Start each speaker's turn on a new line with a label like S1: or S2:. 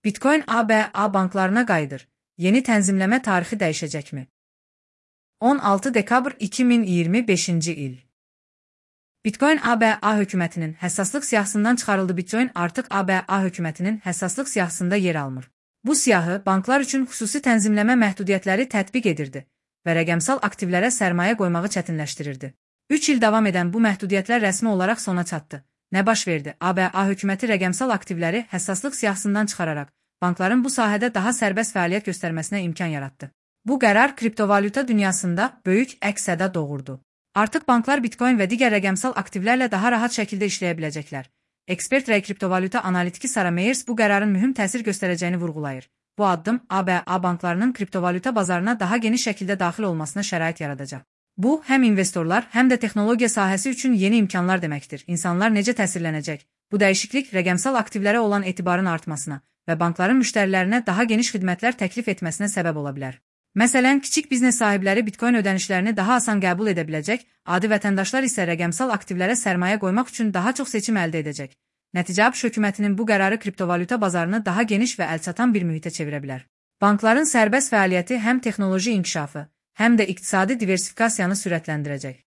S1: Bitcoin ABA banklarına qayıdır. Yeni tənzimləmə tarixi dəyişəcəkmi? 16 dekabr 2025-ci il. Bitcoin ABA hökumətinin həssaslıq siyahısından çıxarıldı. Bitcoin artıq ABA hökumətinin həssaslıq siyahısında yer almır. Bu siyahı banklar üçün xüsusi tənzimləmə məhdudiyyətləri tətbiq edirdi və rəqəmsal aktivlərə sərmayə qoymağı çətinləşdirirdi. 3 il davam edən bu məhdudiyyətlər rəsmi olaraq sona çatdı. Nə baş verdi? ABA hökuməti rəqəmsal aktivləri həssaslıq siyahısından çıxararaq bankların bu sahədə daha sərbəst fəaliyyət göstərməsinə imkan yaratdı. Bu qərar kriptovalyuta dünyasında böyük əks-səda doğurdu. Artıq banklar Bitcoin və digər rəqəmsal aktivlərlə daha rahat şəkildə işləyə biləcəklər. Ekspert və kriptovalyuta analitiki Sarah Meyers bu qərarın mühüm təsir göstərəcəyini vurğulayır. Bu addım ABA banklarının kriptovalyuta bazarına daha geniş şəkildə daxil olmasına şərait yaradacaq. Bu, həm investorlar, həm də texnologiya sahəsi üçün yeni imkanlar deməkdir. İnsanlar necə təsirlənəcək? Bu dəyişiklik rəqəmsal aktivlərə olan etibarın artmasına və bankların müştərilərinə daha geniş xidmətlər təklif etməsinə səbəb ola bilər. Məsələn, kiçik biznes sahibləri Bitcoin ödənişlərini daha asan qəbul edə biləcək, adi vətəndaşlar isə rəqəmsal aktivlərə sərmayə qoymaq üçün daha çox seçim əldə edəcək. Nəticə ABŞ hökumətinin bu qərarı kriptovalyuta bazarını daha geniş və əlçatan bir mühitə çevirə bilər. Bankların sərbəst fəaliyyəti həm texnoloji inkişafı, həm də iqtisadi diversifikasiyanı sürətləndirəcək.